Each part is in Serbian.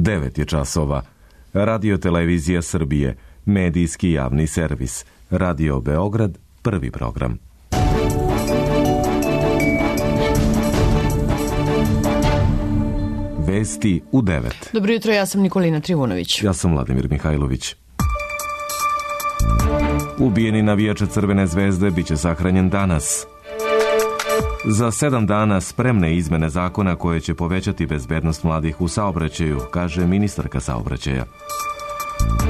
9 je časova. Radio Televizija Srbije, medijski javni servis. Radio Beograd, prvi program. Vesti u 9. Dobro jutro, ja sam Nikolina Trivunović. Ja sam Vladimir Mihajlović. Ubijeni navijač Crvene zvezde biće sahranjen danas. Za 7 dana spremne izmene zakona koje će povećati bezbednost mladih u saobraćaju, kaže ministarka saobraćaja.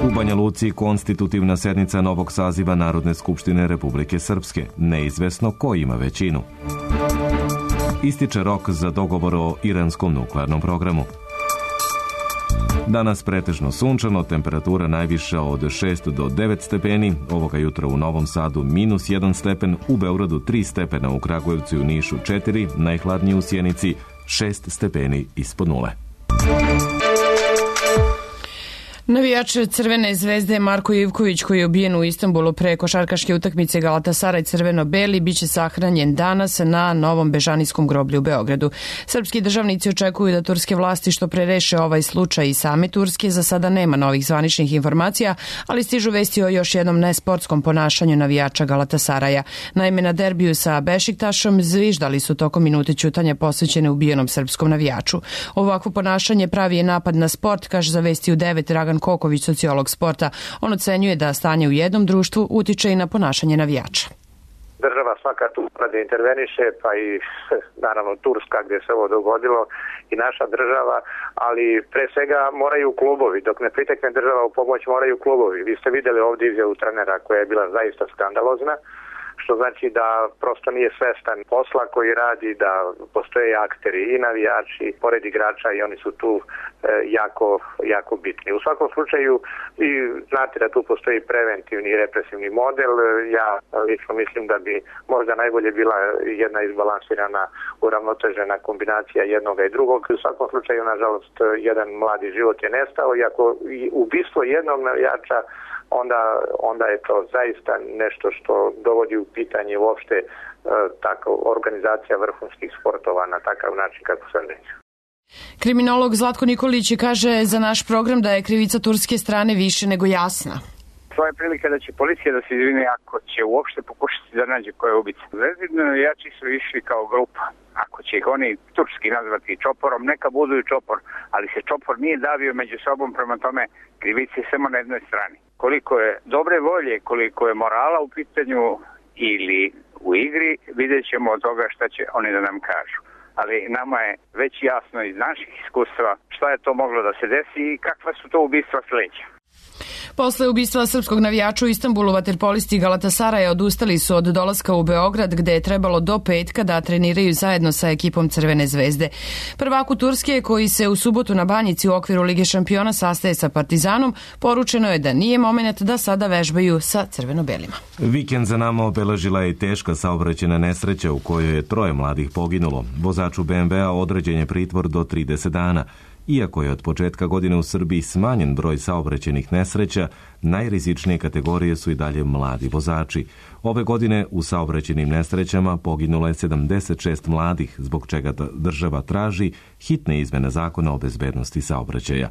U Banja Luci konstitutivna sednica novog saziva Narodne skupštine Republike Srpske. Neizvesno ko ima većinu. Ističe rok za dogovor o iranskom nuklearnom programu. Danas pretežno sunčano, temperatura najviša od 6 do 9 stepeni, ovoga jutra u Novom Sadu -1 stepen, u Beogradu 3 stepena, u Kragujevcu i u Nišu 4, najhladnije u Sjenici 6 stepeni ispod nule. Navijač Crvene zvezde Marko Ivković, koji je ubijen u Istanbulu pre košarkaške utakmice Galatasaraj crveno-beli, biće sahranjen danas na Novom Bežanijskom groblju u Beogradu. Srpski državnici očekuju da turske vlasti što pre reše ovaj slučaj i same Turske. Za sada nema novih zvaničnih informacija, ali stižu vesti o još jednom nesportskom ponašanju navijača Galatasaraja. Naime, na derbiju sa Bešiktašom zviždali su tokom minute ćutanja posvećene ubijenom srpskom navijaču. Ovakvo ponašanje pravi je napad na sport, kaže za Vesti u 9 Dragan Koković, sociolog sporta. On ocenjuje da stanje u jednom društvu utiče i na ponašanje navijača. Država svaka tu da interveniše, pa i naravno Turska gdje se ovo dogodilo i naša država, ali pre svega moraju klubovi. Dok ne pritekne država u pomoć, moraju klubovi. Vi ste vidjeli ovdje izjavu trenera koja je bila zaista skandalozna, što znači da prosto nije svestan posla koji radi, da postoje akteri i navijači, pored igrača, i oni su tu jako bitni. U svakom slučaju, i znate da tu postoji preventivni i represivni model. Ja lično mislim da bi možda najbolje bila jedna izbalansirana, uravnotežena kombinacija jednoga i drugog. U svakom slučaju, nažalost, jedan mladi život je nestao, i ako ubistvo jednog navijača, onda je to zaista nešto što dovodi u pitanje uopšte tako organizacija vrhunskih sportova na takav način kako sam rekao. Kriminolog Zlatko Nikolić kaže za naš program da je krivica turske strane više nego jasna. To je prilika da će policija da se izvine ako će uopšte pokušati da nađe ko je ubica. Zvezdini navijači su išli kao grupa. Ako će ih oni turski nazvati čoporom, neka budu i čopor, ali se čopor nije davio među sobom, prema tome krivica je samo na jednoj strani. Koliko je dobre volje, koliko je morala u pitanju ili u igri, vidjet ćemo od toga šta će oni da nam kažu. Ali nama je već jasno iz naših iskustva šta je to moglo da se desi i kakva su to ubistva sledeća. Posle ubistva srpskog navijača u Istanbulu, vaterpolisti Galatasaraja odustali su od dolaska u Beograd, gde je trebalo do petka da treniraju zajedno sa ekipom Crvene zvezde. Prvaku Turske, koji se u subotu na Banjici u okviru Lige šampiona sastaje sa Partizanom, poručeno je da nije moment da sada vežbaju sa crveno-belima. Vikend za nama obeležila je teška saobraćajna nesreća u kojoj je 3 mladih poginulo. Vozaču BMW-a određen je pritvor do 30 dana. Iako je od početka godine u Srbiji smanjen broj saobraćajnih nesreća, najrizičnije kategorije su i dalje mladi vozači. Ove godine u saobraćajnim nesrećama poginulo je 76 mladih, zbog čega država traži hitne izmene zakona o bezbednosti saobraćaja.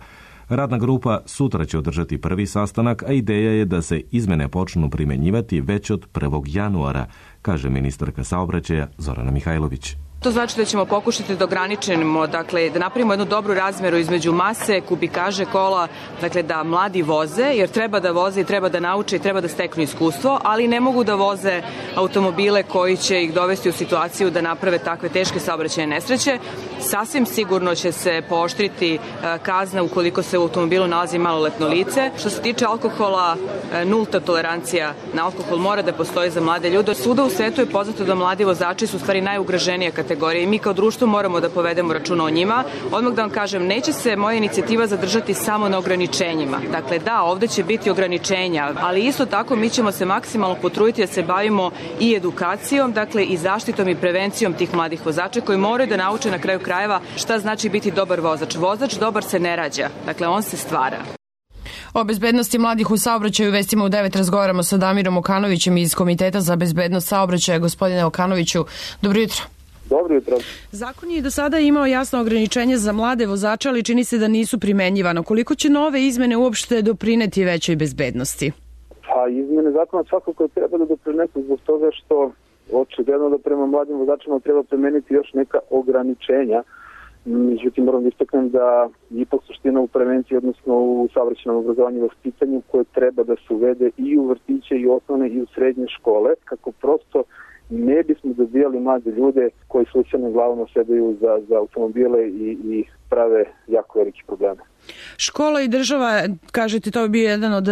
Radna grupa sutra će održati prvi sastanak, a ideja je da se izmene počnu primenjivati već od 1. januara, kaže ministarka saobraćaja Zorana Mihajlović. To znači da ćemo pokušati da ograničimo, dakle, da napravimo jednu dobru razmeru između mase, kubikaže kola, dakle, da mladi voze, jer treba da voze i treba da nauče i treba da steknu iskustvo, ali ne mogu da voze automobile koji će ih dovesti u situaciju da naprave takve teške saobraćajne nesreće. Sasvim sigurno će se pooštriti kazna ukoliko se u automobilu nalazi maloletno lice. Što se tiče alkohola, nulta tolerancija na alkohol mora da postoji za mlade ljude. Svuda u svetu je poznato da mladi vozači su u stvari najugroženija kategorija i mi kao društvo moramo da povedemo računa o njima. Odmah da vam kažem, neće se moja inicijativa zadržati samo na ograničenjima. Dakle, da, ovde će biti ograničenja, ali isto tako mi ćemo se maksimalno potruditi da se bavimo i edukacijom, dakle i zaštitom i prevencijom tih mladih vozača koji moraju da nauče na kraju krajeva šta znači biti dobar vozač. Vozač dobar se ne rađa, dakle on se stvara. O bezbednosti mladih u saobraćaju vestima u 9 razgovaramo sa Damirom Okanovićem iz Komiteta za bezbednost saobraćaja. Gospodine Okanoviću, dobro jutro. Dobro jutro. Zakon je do sada imao jasno ograničenje za mlade vozače, ali čini se da nisu primenjivano. Koliko će nove izmene uopšte doprineti većoj bezbednosti? Pa izmene zakona svakako treba da doprinesu zbog toga što očigledno da prema mladim vozačima treba primeniti još neka ograničenja. Međutim, moram da istaknem da ipak suština u prevenciji, odnosno u saobraćajnom obrazovanju i vaspitanju, koje treba da se uvede i u vrtiće, i u osnovne, i u srednje škole, kako prosto ne bismo dobijali mlade ljude koji slučajno glavom sedaju za automobile i prave jako veliki probleme. Škola i država, kažete, to bi bio jedan od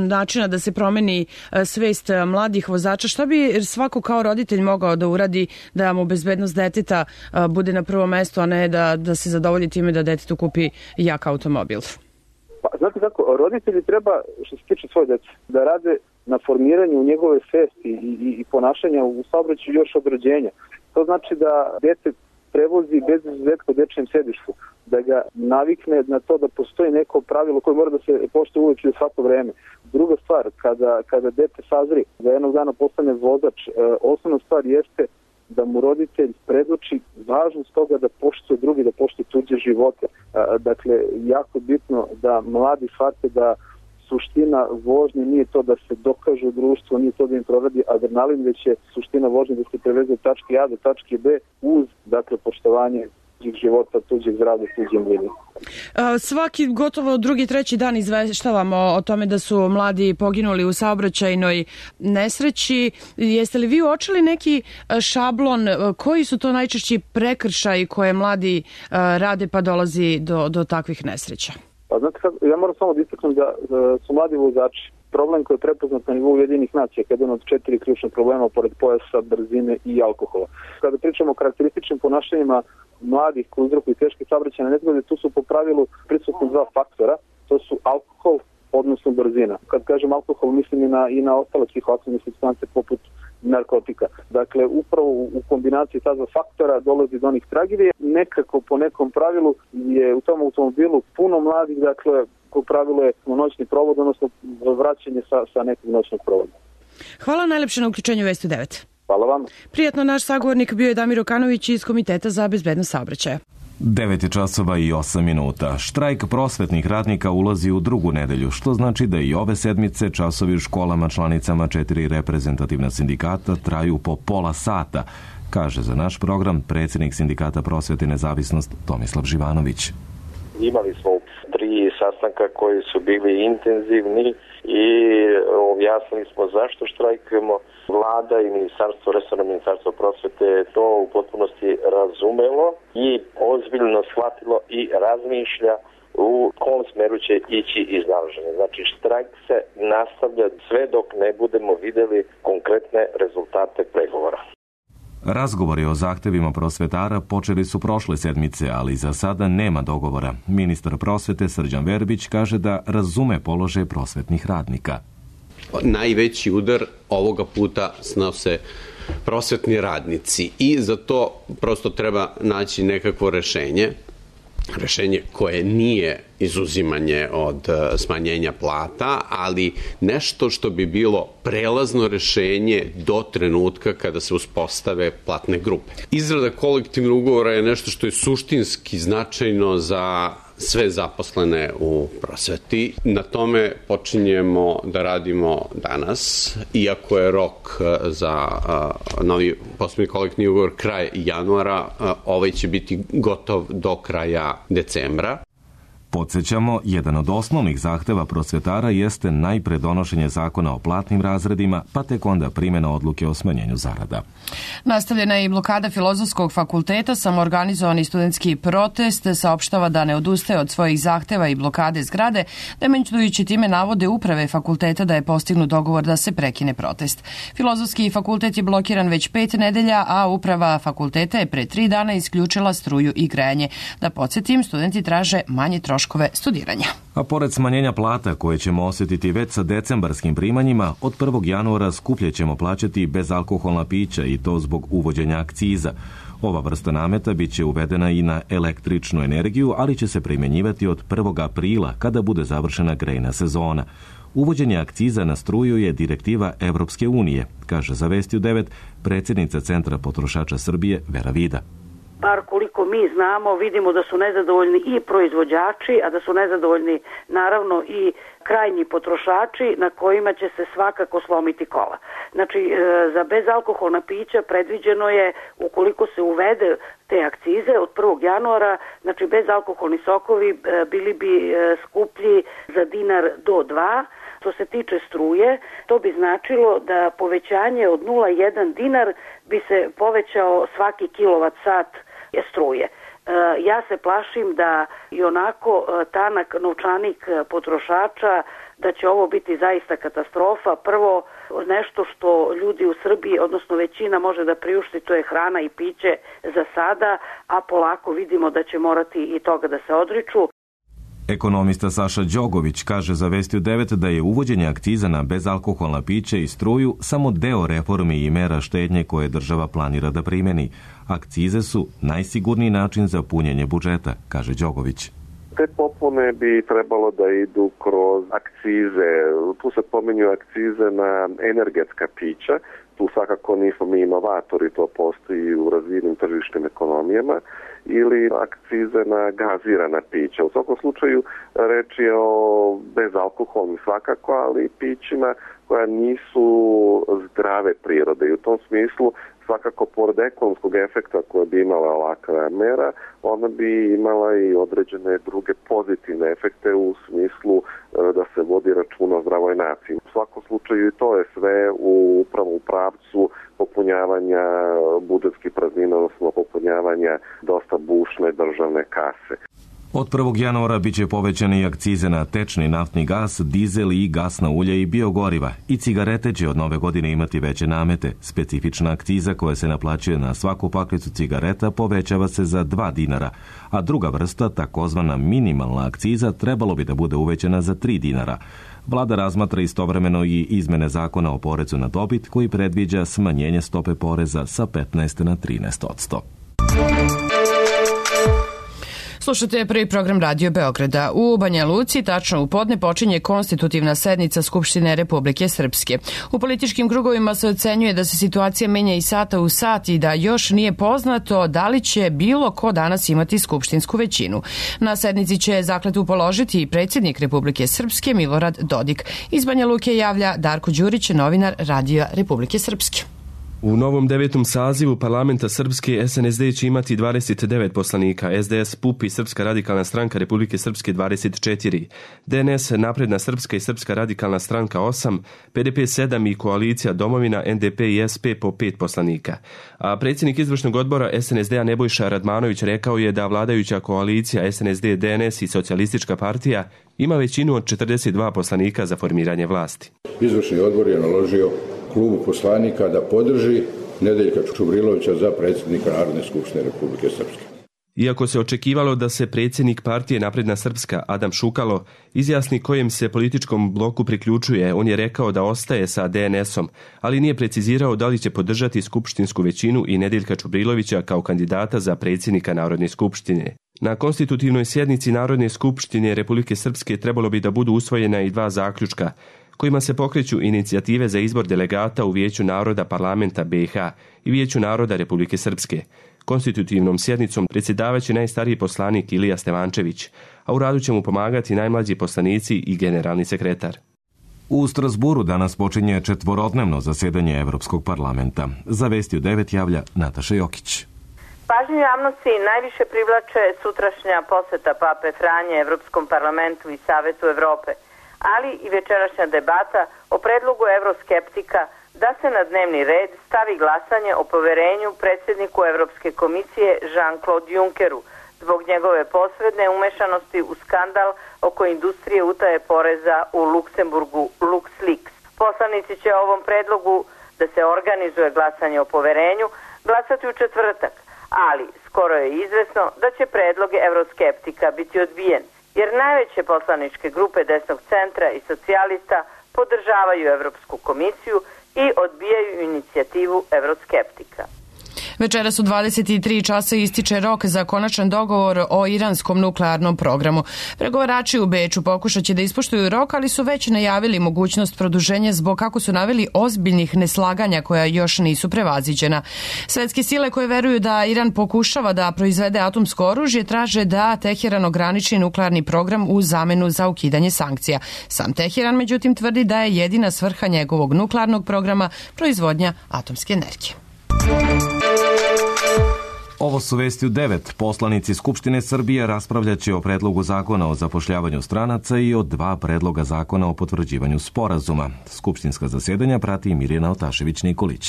načina da se promeni svest mladih vozača. Šta bi svako kao roditelj mogao da uradi da mu bezbednost deteta bude na prvom mestu, a ne da se zadovolji time da detetu kupi jak automobil? Pa, znate kako, roditelji treba, što se tiče svoje dece, da rade na formiranju njegove svesti i ponašanja u saobraćaju još od rođenja. To znači da dete prevozi bez izuzetka u dečijem sedištu, da ga navikne na to da postoji neko pravilo koje mora da se poštuje uvijek i u svako vreme. Druga stvar, kada dete sazri, da jednog dana postane vozač, osnovna stvar jeste da mu roditelj predoči važnost toga da poštuje drugi, da poštuje tuđe živote. Dakle, jako bitno da mladi shvate da suština vožnje nije to da se dokaže u društvu, nije to da im proradi adrenalin, već je suština vožnje da se preveze od tačke A do tačke B uz, dakle, poštovanje tuđih života, tuđih zdravlja, tuđim linijom. Svaki gotovo drugi, treći dan izveštavamo o tome da su mladi poginuli u saobraćajnoj nesreći. Jeste li vi uočili neki šablon? Koji su to najčešći prekršaji koje mladi rade pa dolazi do takvih nesreća? Pa znate kako, ja moram samo da istaknem da su mladi vozači problem koji je prepoznat na nivou Ujedinjenih nacija, jedan od 4 ključnih problema pored pojasa, brzine i alkohola. Kada pričamo o karakterističnim ponašanjima mladih koji uzrokuju teške saobraćajne nezgode, tu su po pravilu prisutni 2 faktora, to su alkohol, odnosno brzina. Kad kažem alkohol, mislim i na ostale psihoaktivne supstance poput narkotika. Dakle, upravo u kombinaciji ta 2 faktora dolazi do onih tragedija. Nekako po nekom pravilu je u tom automobilu puno mladih, dakle, po pravilu je noćni provod, odnosno vraćanje sa nekog noćnog provoda. Hvala najlepše na uključenju Vesti 9. Hvala vam. Prijatno, naš sagovornik bio je Damir Okanović iz Komiteta za bezbednost saobraćaja. 9:08. Štrajk prosvetnih radnika ulazi u drugu nedelju, što znači da i ove sedmice časovi u školama članicama 4 reprezentativna sindikata traju po pola sata, kaže za naš program predsjednik Sindikata prosvete i nezavisnost Tomislav Živanović. Imali smo 3 sastanka koji su bili intenzivni i objasnili smo zašto štrajkujemo. Vlada i resorno ministarstvo prosvete je to u potpunosti razumelo i ozbiljno shvatilo i razmišlja u kom smeru će ići iznalaženje. Znači, štrajk se nastavlja sve dok ne budemo vidjeli konkretne rezultate pregovora. Razgovori o zahtevima prosvetara počeli su prošle sedmice, ali za sada nema dogovora. Ministar prosvete Srđan Verbić kaže da razume položaj prosvetnih radnika. Najveći udar ovoga puta snose prosvetni radnici i za to prosto treba naći nekakvo rešenje koje nije izuzimanje od smanjenja plata, ali nešto što bi bilo prelazno rešenje do trenutka kada se uspostave platne grupe. Izrada kolektivnog ugovora je nešto što je suštinski značajno za sve zaposlene u prosveti. Na tome počinjemo da radimo danas, iako je rok za novi poslovni kolektivni ugovor kraj januara, ovaj će biti gotov do kraja decembra. Podsjećamo, jedan od osnovnih zahteva prosvetara jeste najpre donošenje zakona o platnim razredima, pa tek onda primjena odluke o smanjenju zarada. Nastavljena je i blokada Filozofskog fakulteta. Samoorganizovani studentski protest saopštava da ne odustaje od svojih zahteva i blokade zgrade, demantujući time navode uprave fakulteta da je postignut dogovor da se prekine protest. Filozofski fakultet je blokiran već 5 nedelja, a uprava fakulteta je pre 3 dana isključila struju i grejanje. Da podsjetim, studenti traže manje troškove studiranja. A pored smanjenja plata koje ćemo osjetiti već sa decembarskim primanjima, od 1. januara skuplje ćemo plaćati bezalkoholna pića i to zbog uvođenja akciza. Ova vrsta nameta bit će uvedena i na električnu energiju, ali će se primjenjivati od 1. aprila kada bude završena grejna sezona. Uvođenje akciza na struju je direktiva Evropske unije, kaže za Vesti u 9 predsjednica Centra potrošača Srbije Vera Vida. Bar koliko mi znamo, vidimo da su nezadovoljni i proizvođači, a da su nezadovoljni naravno i krajnji potrošači na kojima će se svakako slomiti kola. Znači, za bezalkoholna pića predviđeno je, ukoliko se uvede te akcize od 1. januara, znači bezalkoholni sokovi bili bi skuplji za dinar do 2. Što se tiče struje, to bi značilo da povećanje od 0,1 dinar bi se povećao svaki kilovat sat struje. Ja se plašim da i onako tanak novčanik potrošača, da će ovo biti zaista katastrofa. Prvo, nešto što ljudi u Srbiji, odnosno većina, može da priušti, to je hrana i piće za sada, a polako vidimo da će morati i toga da se odriču. Ekonomista Saša Đogović kaže za Vesti u 9 da je uvođenje akciza na bezalkoholna pića i struju samo deo reformi i mera štednje koje država planira da primeni. Akcize su najsigurniji način za punjenje budžeta, kaže Đogović. Te popune bi trebalo da idu kroz akcize. Tu se pominju akcize na energetska pića. Tu svakako nismo mi inovatori, to postoji u razvijenim tržišnim ekonomijama, ili akcize na gazirana pića. U svakom slučaju reč je o bezalkoholnim svakako, ali i pićima koja nisu zdrave prirode. I u tom smislu svakako pored ekonomskog efekta koje bi imala ovakva mera, ona bi imala i određene druge pozitivne efekte u smislu da se vodi računa o zdravoj naciji. U svakom slučaju i to je sve upravo u pravcu popunjavanja budžetskih praznina, odnosno popunjavanja dosta bušne državne kase. Od 1. januara biće povećane i akcize na tečni naftni gas, dizel i gasna ulja i biogoriva. I cigarete će od nove godine imati veće namete. Specifična akciza koja se naplaćuje na svaku paklicu cigareta povećava se za 2 dinara, a druga vrsta, takozvana minimalna akciza, trebalo bi da bude uvećana za 3 dinara. Vlada razmatra istovremeno i izmene zakona o porezu na dobit koji predviđa smanjenje stope poreza sa 15 na 13%. Slušate prvi program Radio Beograda. U Banja Luci tačno u podne počinje konstitutivna sednica Skupštine Republike Srpske. U političkim krugovima se ocenjuje da se situacija menja iz sata u sat i da još nije poznato da li će bilo ko danas imati skupštinsku većinu. Na sednici će zakletvu položiti i predsjednik Republike Srpske Milorad Dodik. Iz Banja Luke javlja Darko Đurić, novinar Radija Republike Srpske. U novom 9. sazivu parlamenta Srpske SNSD će imati 29 poslanika, SDS, PUP i Srpska radikalna stranka Republike Srpske 24, DNS, Napredna Srpska i Srpska radikalna stranka 8, PDP 7 i koalicija Domovina, NDP i SP po 5 poslanika. A predsjednik izvršnog odbora SNSD-a Nebojša Radmanović rekao je da vladajuća koalicija SNSD, DNS i Socijalistička partija ima većinu od 42 poslanika za formiranje vlasti. Izvršni odbor je naložio klubu poslanika da podrži Nedeljka Čubrilovića za predsjednika Narodne skupštine Republike Srpske. Iako se očekivalo da se predsjednik partije Napredna Srpska Adam Šukalo izjasni kojem se političkom bloku priključuje, on je rekao da ostaje sa DNS-om, ali nije precizirao da li će podržati skupštinsku većinu i Nedeljka Čubrilovića kao kandidata za predsjednika Narodne skupštine. Na konstitutivnoj sjednici Narodne skupštine Republike Srpske trebalo bi da budu usvojena i 2 zaključka, kojima se pokreću inicijative za izbor delegata u Vijeću naroda parlamenta BiH i Vijeću naroda Republike Srpske. Konstitutivnom sjednicom predsjedavaće najstariji poslanik Ilija Stevančević, a u radu će mu pomagati najmlađi poslanici i generalni sekretar. U Strasburu danas počinje 4-dnevno zasedanje Evropskog parlamenta. Za Vesti u 9 javlja Nataša Jokić. Pažnju javnosti najviše privlače sutrašnja poseta Pape Franje Evropskom parlamentu i Savetu Evrope, ali i večerašnja debata o predlogu evroskeptika da se na dnevni red stavi glasanje o poverenju predsjedniku Evropske komisije Jean-Claude Junckeru zbog njegove posredne umešanosti u skandal oko industrije utaje poreza u Luksemburgu LuxLeaks. Poslanici će o ovom predlogu da se organizuje glasanje o poverenju glasati u četvrtak, ali skoro je izvesno da će predlog evroskeptika biti odbijen, jer najveće poslaničke grupe desnog centra i socijalista podržavaju Evropsku komisiju i odbijaju inicijativu evroskeptika. Večeras u 23 časa ističe rok za konačan dogovor o iranskom nuklearnom programu. Pregovarači u Beču pokušat će da ispoštuju rok, ali su već najavili mogućnost produženja zbog, kako su naveli, ozbiljnih neslaganja koja još nisu prevaziđena. Svetske sile koje veruju da Iran pokušava da proizvede atomsko oružje traže da Teheran ograniči nuklearni program u zamenu za ukidanje sankcija. Sam Teheran, međutim, tvrdi da je jedina svrha njegovog nuklearnog programa proizvodnja atomske energije. Ovo su vesti u 9. Poslanici Skupštine Srbije raspravljaće o predlogu zakona o zapošljavanju stranaca i o 2 predloga zakona o potvrđivanju sporazuma. Skupštinska zasjedanja prati Mirjana Otašević-Nikolić.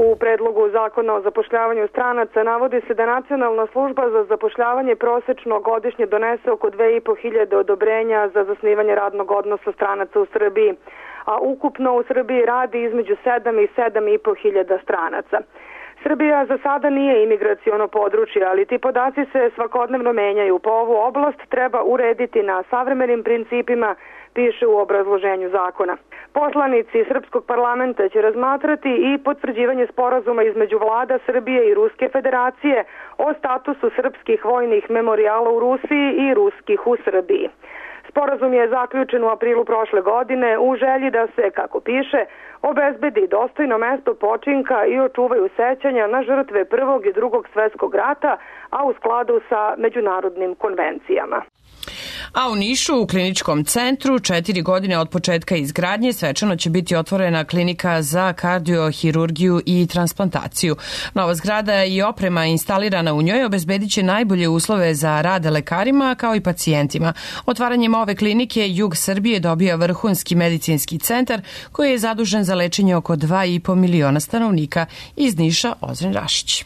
U predlogu zakona o zapošljavanju stranaca navodi se da Nacionalna služba za zapošljavanje prosečno godišnje donese oko 2.500 odobrenja za zasnivanje radnog odnosa stranaca u Srbiji, a ukupno u Srbiji radi između 7 i 7.500 stranaca. Srbija za sada nije imigraciono područje, ali ti podaci se svakodnevno menjaju. Po ovu oblast treba urediti na savremenim principima, piše u obrazloženju zakona. Poslanici Srpskog parlamenta će razmatrati i potvrđivanje sporazuma između vlada Srbije i Ruske federacije o statusu srpskih vojnih memorijala u Rusiji i ruskih u Srbiji. Sporazum je zaključen u aprilu prošle godine u želji da se, kako piše, obezbedi dostojno mesto počinka i očuvaju sećanja na žrtve Prvog i Drugog svjetskog rata, a u skladu sa međunarodnim konvencijama. A u Nišu, u kliničkom centru, 4 godine od početka izgradnje, svečano će biti otvorena klinika za kardiohirurgiju i transplantaciju. Nova zgrada i oprema instalirana u njoj obezbedit će najbolje uslove za rad lekarima kao i pacijentima. Otvaranjem ove klinike Jug Srbije dobija vrhunski medicinski centar koji je zadužen za lečenje oko 2,5 miliona stanovnika. Iz Niša, Ozren Rašić.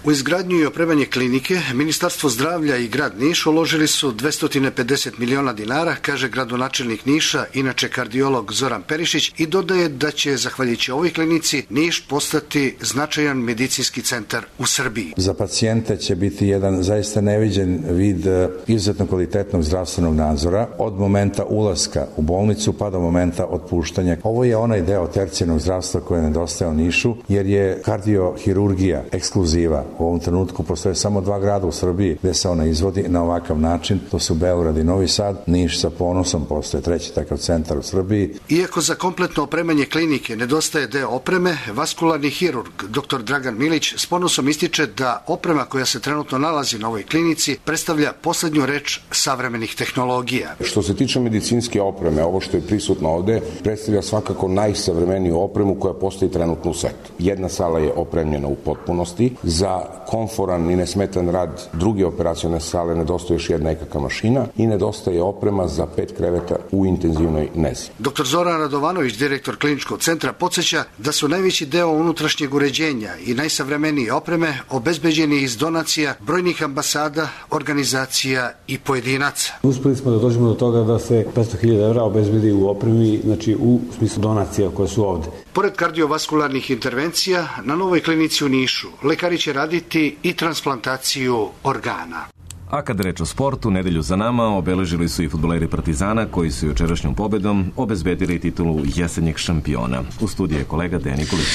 U izgradnju i opremanje klinike Ministarstvo zdravlja i grad Niš uložili su 250 miliona dinara, kaže gradonačelnik Niša, inače kardiolog Zoran Perišić, i dodaje da će, zahvaljujući ovoj klinici, Niš postati značajan medicinski centar u Srbiji. Za pacijente će biti jedan zaista neviđen vid izuzetno kvalitetnog zdravstvenog nadzora od momenta ulaska u bolnicu pa do momenta otpuštanja. Ovo je onaj deo tercijarnog zdravstva koji nedostaje u Nišu, jer je kardiohirurgija ekskluziva. U ovom trenutku postoje samo 2 grada u Srbiji gde se ona izvodi na ovakav način. To su Beograd i Novi Sad. Niš sa ponosom postoje 3. takav centar u Srbiji. Iako za kompletno opremanje klinike nedostaje deo opreme, vaskularni hirurg dr. Dragan Milić s ponosom ističe da oprema koja se trenutno nalazi na ovoj klinici predstavlja poslednju reč savremenih tehnologija. Što se tiče medicinske opreme, ovo što je prisutno ovde predstavlja svakako najsavremeniju opremu koja postoji trenutno u svetu. Jedna sala je opremljena u potpunosti. Za komforan i nesmetan rad druge operacione sale nedostaje još jedna EKG mašina i nedostaje oprema za 5 kreveta u intenzivnoj nezi. Dr. Zoran Radovanović, direktor kliničkog centra, podsjeća da su najveći deo unutrašnjeg uređenja i najsavremenije opreme obezbeđeni iz donacija brojnih ambasada, organizacija i pojedinaca. Uspeli smo da dođemo do toga da se 500.000 evra obezbedi u opremi, znači u smislu donacija koje su ovde. Pored kardiovaskularnih intervencija, na novoj klinici u Nišu lekari će raditi i transplantaciju organa. A kad reč o sportu, nedelju za nama obeležili su i fudbaleri Partizana koji su jučerašnjom pobedom obezbedili titulu jesenjeg šampiona. U studiju je kolega Dejan Nikolić.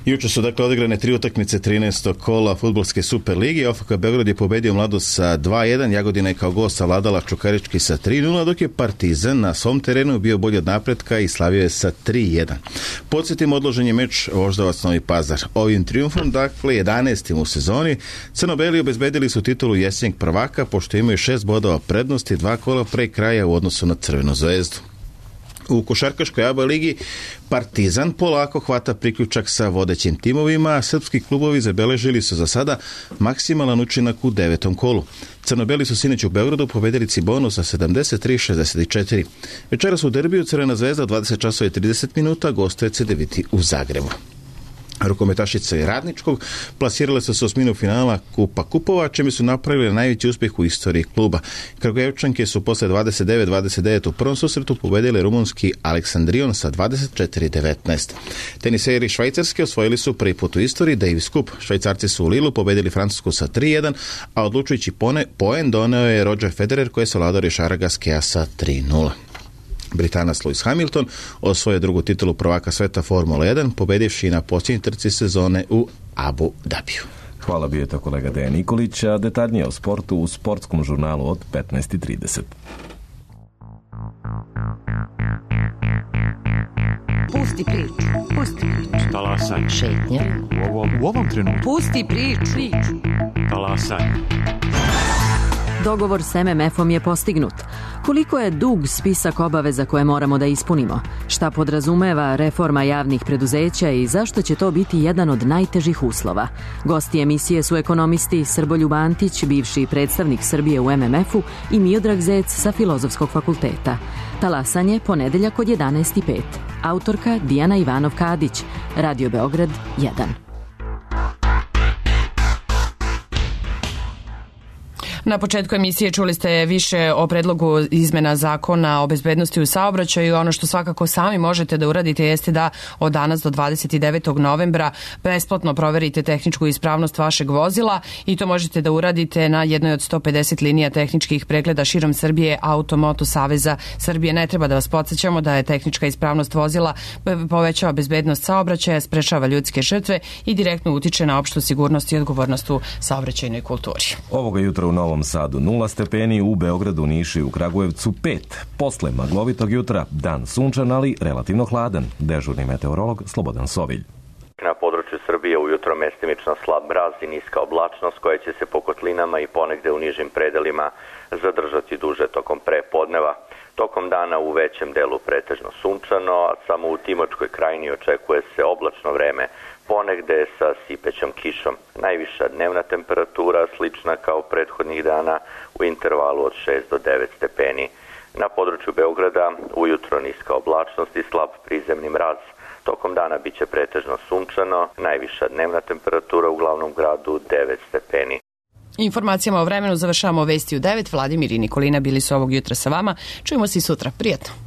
Juče su dakle odigrane 3 utakmice 13. kola fudbalske Super lige. OFK Beograd je pobedio Mladost sa 2-1, Jagodina je kao gost savladala Čukarički sa 3-0, dok je Partizan na svom terenu bio bolji od napretka i slavio je sa 3-1. Podsjetimo, odložen je meč Voždovac Novi Pazar. Ovim trijumfom, dakle 11. u sezoni, crno-beli obezbedili su titulu jesenjeg prvaka, pošto imaju 6 bodova prednosti, 2 kola pre kraja u odnosu na Crvenu zvezdu. U košarkaškoj ABA ligi Partizan polako hvata priključak sa vodećim timovima, a srpski klubovi zabeležili su za sada maksimalan učinak u 9. kolu. Crno-beli su sinoć u Beogradu pobedili Cibonu sa 73-64. Večeras u derbiju Crvena zvezda 20:30 gostuje CDVita u Zagrebu. Rukometašice i Radničkog plasirale su se u osminu finala Kupa kupova, čime su napravili najveći uspjeh u istoriji kluba. Kragujevčanke su posle 29-29 u prvom susretu pobedili rumunski Aleksandrion sa 24-19. Teniseri Švajcarske osvojili su prvi put u istoriji Davis Cup. Švajcarci su u Lilu pobedili Francusku sa 3-1, a odlučujući poen doneo je Roger Federer koji je savladao Richarda Gasqueta sa 3-0. Britanac Lewis Hamilton osvojio drugu titulu prvaka sveta Formula 1, pobedivši na posljednjoj trci sezone u Abu Dhabiju. Hvala, bio je to kolega Dejan Nikolić, a detaljnije o sportu u sportskom žurnalu od 15:30. Pusti priču. Talasaj. Šetnja. U ovom trenutku. Pusti priču. Talasaj. Dogovor s MMF-om je postignut. Koliko je dug spisak obaveza koje moramo da ispunimo? Šta podrazumeva reforma javnih preduzeća i zašto će to biti jedan od najtežih uslova? Gosti emisije su ekonomisti Srboljub Antić, bivši predstavnik Srbije u MMF-u, i Miodrag Zec sa Filozofskog fakulteta. Talasanje, ponedeljak od 11:05. Autorka Dijana Ivanov-Kadić. Radio Beograd 1. Na početku emisije čuli ste više o predlogu izmena zakona o bezbednosti u saobraćaju. Ono što svakako sami možete da uradite jeste da od danas do 29. novembra besplatno proverite tehničku ispravnost vašeg vozila i to možete da uradite na jednoj od 150 linija tehničkih pregleda širom Srbije Automoto Saveza Srbije. Ne treba da vas podsjećamo da je tehnička ispravnost vozila povećava bezbednost saobraćaja, sprečava ljudske žrtve i direktno utiče na opštu sigurnost i odgovornost u saobraćajnoj kulturi. Ovoga jutra u Novom Sadu 0 stepeni, u Beogradu, Nišu i u Kragujevcu 5. Posle maglovitog jutra dan sunčan, ali relativno hladan. Dežurni meteorolog Slobodan Sovilj. Na području Srbije ujutro mestimično slab mraz i niska oblačnost koja će se po kotlinama i ponegde u nižim predelima zadržati duže tokom prepodneva. Tokom dana u većem delu pretežno sunčano, a samo u Timočkoj krajini očekuje se oblačno vreme, ponegde sa sipećom kišom. Najviša dnevna temperatura slična kao prethodnih dana u intervalu od 6 do 9 stepeni. Na području Beograda ujutro niska oblačnost i slab prizemni mraz. Tokom dana biće pretežno sunčano, najviša dnevna temperatura u glavnom gradu 9 stepeni. Informacijama o vremenu završavamo vesti u 9. Vladimir i Nikolina bili su ovog jutra sa vama. Čujemo se i sutra. Prijetno.